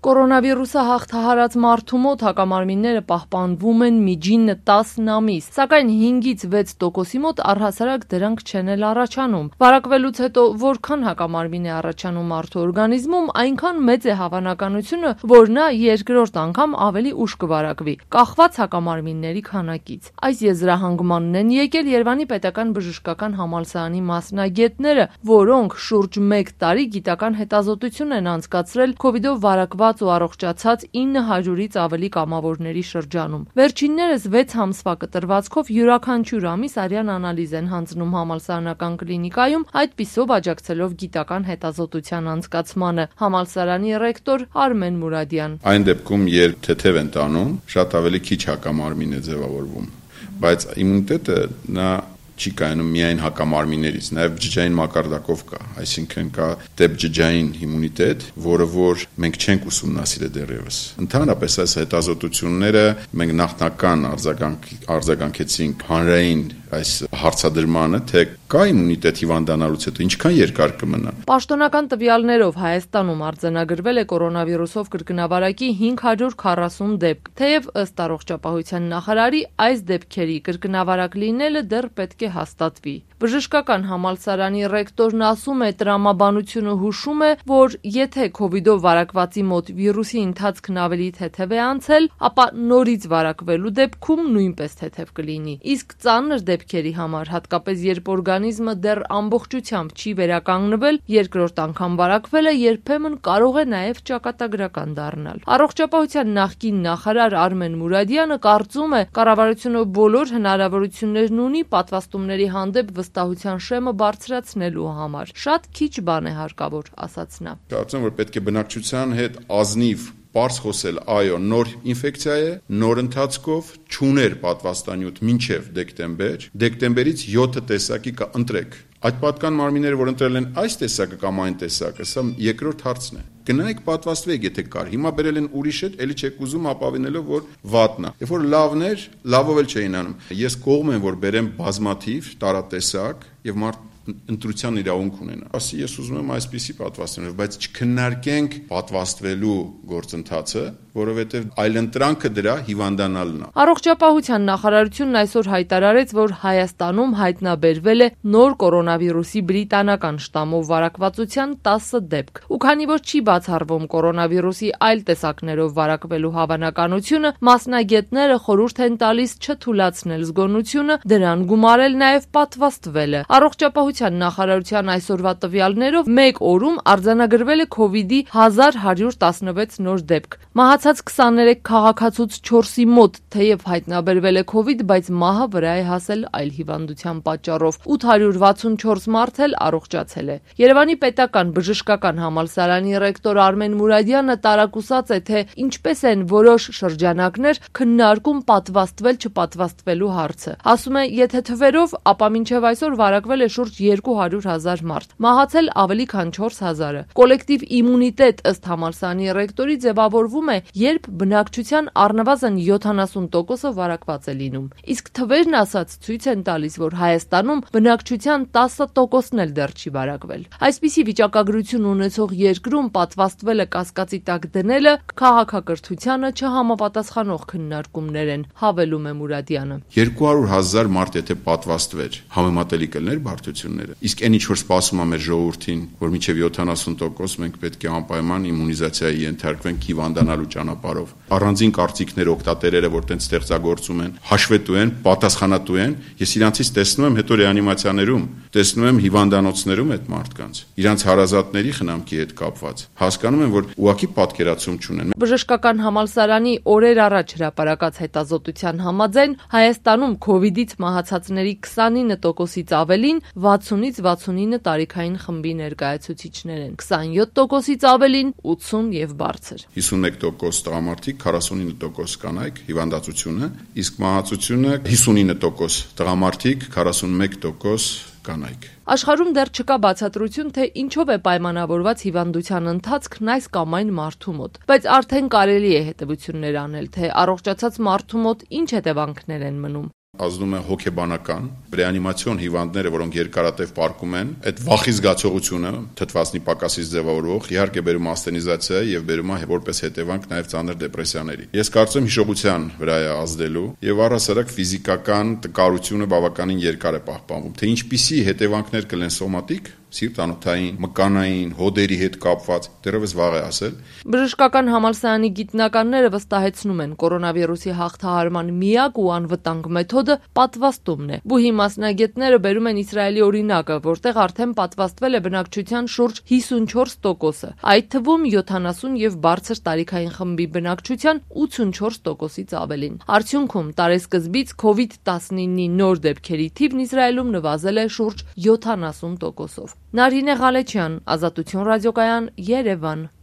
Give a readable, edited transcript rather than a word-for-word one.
Կորոնավիրուսը հաղթահարած մարդու մոտ հակամարմինները պահպանվում են միջինը 10 ամիս, սակայն 5-ից 6%-ի մոտ առհասարակ դրանք չեն էլ առաջանում։ Վարակվելուց հետո որքան հակամարմին է առաջանում մարդու օրգանիզմում, այնքան մեծ է հավանականությունը, որ նա երկրորդ անգամ ավելի ուշ կվարակվի, կախված հակամարմինների քանակից։ Այս եզրահանգմանն են եկել Երևանի պետական բժշկական համալսարանի մասնագետները, որոնք շուրջ 1 տարի գիտական հետազոտություն են անցկացրել COVID-ով վարակված ու առողջացած 900-ից ավելի կամավորների շրջանում։ Վերջիններս 6 ամսվա կտրվածքով յուրաքանչյուր ամիս արյան անալիզ են հանձնում համալսարանական կլինիկայում, այդպիսով աջակցելով գիտական հետազոտության անցկացմանը։ Համալսարանի ռեկտոր Արմեն Մուրադյան. Այն դեպքում, երբ թեթև են տանում, շատ ավելի քիչ հակամարմին է ձևավորվում, բայց իմունիտետը նա չի կայանում միայն հակամարմիններից, նաև բջջային մակարդակով կա, այսինքն կա դեպջջային իմունիտետ, որը որ մենք չենք ուսումնասիրել դեռևս։ Ընդհանրապես այս հետազոտությունները մենք նախնական արձագանքեցինք հանրային այս հարցադրմանը, թե կա իմունիտետ հիվանդանալուց հետո ինչքան երկար կմնա։ Պաշտոնական տվյալներով Հայաստանում արձանագրվել է կորոնավիրուսով կրկնավարակի 540 դեպք, թեև ըստ առողջապահության նախարարի այս դեպքերի կրկնավարակ լինելը դեռ պետք է հաստատվի։ Բժշկական համալսարանի ռեկտորն ասում է, տրամաբանությունը հուշում է, որ եթե COVID-ով վարակվածի մոտ վիրուսի ընթացքն ավելի թեթև է անցել, ապա նորից վարակվելու դեպքում նույնպես թեթև կլինի։ Իսկ ծանր դեպքերի համար, հատկապես երբ օրգանիզմը դեռ ամբողջությամբ չի վերականգնվել, երկրորդ անգամ վարակվելը երբեմն կարող է նաև ճակատագրական դառնալ։ Առողջապահության նախկին նախարար Արմեն Մուրադյանը կարծում է, կառավարությունը բոլոր հնարավորություններն ունի պատվաստումների հանդեպ վստահության շեմը բարձրացնելու համար։ Շատ քիչ բան է հարկավոր, ասաց նա։ Կարծում եմ, որ պետք է բնակչության հետ ազնիվ պարզ խոսել, այո, նոր ինֆեկցիա է, նոր ընթացքով չուներ պատվաստանյութ մինչև դեկտեմբերից 7 տեսակի ընտրեք։ Այդ պատկան մարմինները, որ ընտրել են այս տեսակը կամ այն տեսակը, սա երկրորդ հարցն է։ Գնայեք պատվաստվեք, եթե կար։ Հիմա բերել են ուրիշ հետ, էլի չեք ուզում ապավինելով, որ վատն է։ Երբ որ լավներ, լավով էլ չէին անում։ Ես կողմ եմ, որ բերեմ բազմաթիվ տարատեսակ եւ մարդ ընտրության իրավունք ունենա։ Ասի ես ուզում եմ այսպիսի պատվաստանյութ, բայց չքննարկենք պատվաստվելու գործընթացը, որովհետև այլընտրանքը դրա հիվանդանալն է։ Առողջապահության նախարարությունն այսօր հայտարարեց, որ Հայաստանում հայտնաբերվել է նոր կորոնավիրուսի բրիտանական շտամով վարակվածության 10 դեպք։ Ու քանի որ չի բացառվում կորոնավիրուսի այլ տեսակներով վարակվելու հավանականությունը, մասնագետները խորհուրդ են տալիս չթույլատրել զգոնությունը, դրան գումարել նաև պատվաստվելը։ Առողջապահության նախարարության այսօրվա տվյալներով մեկ օրում արձանագրվել է COVID-ի 1116 նոր դեպք։ Մահացած 23 քաղաքացուց 4-ի մոտ թեև հայտնաբերվել է COVID, բայց մահը վրա է հասել այլ հիվանդության պատճառով։ 864 մարդ էլ առողջացել է։ Երևանի պետական բժշկական համալսարանի ռեկտոր Արմեն Մուրադյանը տարակուսած է, թե ինչպես են որոշ շրջանակներ քննարկում պատվաստվել-չպատվաստվելու հարցը։ Ասում է, եթե թվերով, ապա մինչև այսօր վարակվել է շուրջ 200,000 մարդ, մահացել ավելի քան 4,000-ը։ Կոլեկտիվ իմունիտետ ըստ համալսարանի ռեկտորի ձևավորվում է, երբ բնակչության առնվազն 70%-ը վարակված է լինում։ Իսկ թվերն ասած ցույց են տալիս, որ Հայաստանում բնակչության 10%-ն էլ դեռ չի վարակվել։ Այսպիսի վիճակագրություն ունեցող երկրում պատվաստվելը կասկածի տակ դնելը քաղաքակրթությանը չհամապատասխանող քննարկումներ են, հավելում է Մուրադյանը։ 200,000 մարդ եթե պատվաստվեր, համեմատելի կլներ բարդությունները։ Իսկ այն ինչ որ սպասում է մեր ժողովրդին, որ մինչև 70% մենք պետք է անպայման իմունիզացիայի ենթարկվենք հիվանդանալու ճանապարհով։ Առանձին կարծիքներ օգտատերերը, որ տենց ստեղծագործում են, հաշվետու են, պատասխանատու են, ես իրանցից տեսնում եմ հետո ռեանիմացիաներում, տեսնում եմ հիվանդանոցներում այդ մարդկանց, իրանց հարազատների խնամքի հետ կապված։ Հասկանում եմ, որ ուղղակի պատկերացում չունեն։ Բժշկական համալսարանի օրեր առաջ հրապարակած հետազոտության համաձայն Հայաստանում COVID-ից մահացածների 29%-ից ավելին 60-ից 69 տարիքային խմբի ներկայացուցիչներ են, 27%-ից ավելին 80 եւ բարձր։ 51% տղամարդիկ, 49% կանայք հիվանդացությունը, իսկ մահացությունը 59% տղամարդիկ, 41% կանայք։ Աշխարհում դեռ չկա բացատրություն, թե ինչով է պայմանավորված հիվանդության ընթացքն այս կամ այն մարդու մոտ, բայց արդեն կարելի է հետևություններ անել, թե առողջացած մարդու մոտ ինչ հետևանքներ են մնում։ ազդում է հոգեբանական, ռեանիմացիոն հիվանդները, որոնք երկարատև պարկում են, այդ վախի զգացողությունը թթվածնի պակասից ձևավորվող իհարկե բերում ասթենիզացիա եւ բերում է որպես հետևանք նաեւ ծանր դեպրեսիաների։ Ես կարծում հիշողության վրա է ազդելու եւ առհասարակ ֆիզիկական տկարությունը բավականին երկար է պահպանվում։ Թե ինչպիսի հետևանքներ կլեն սոմատիկ, սիրտանոթային, մկանային, հոդերի հետ կապված, դեռևս վաղ է ասել։ Բժշկական համալսարանի գիտնականները վստահեցնում են, կորոնավիրուսի հաղթահարման միակ ու անվտանգ մեթոդը պատվաստումն է։ Բուհի մասնագետները բերում են Իսրայելի օրինակը, որտեղ արդեն պատվաստվել է բնակչության շուրջ 54%-ը, այդ թվում 70 եւ բարձր տարիքային խմբի բնակչության 84%-ից ավելին։ Արդյունքում տարեսկզբից COVID-19-ի նոր դեպքերի թիվն Իսրայելում նվազել է շուրջ 70%-ով։ Նարինե Ղալեչյան, Ազատություն ռադիոկայան, Երևան։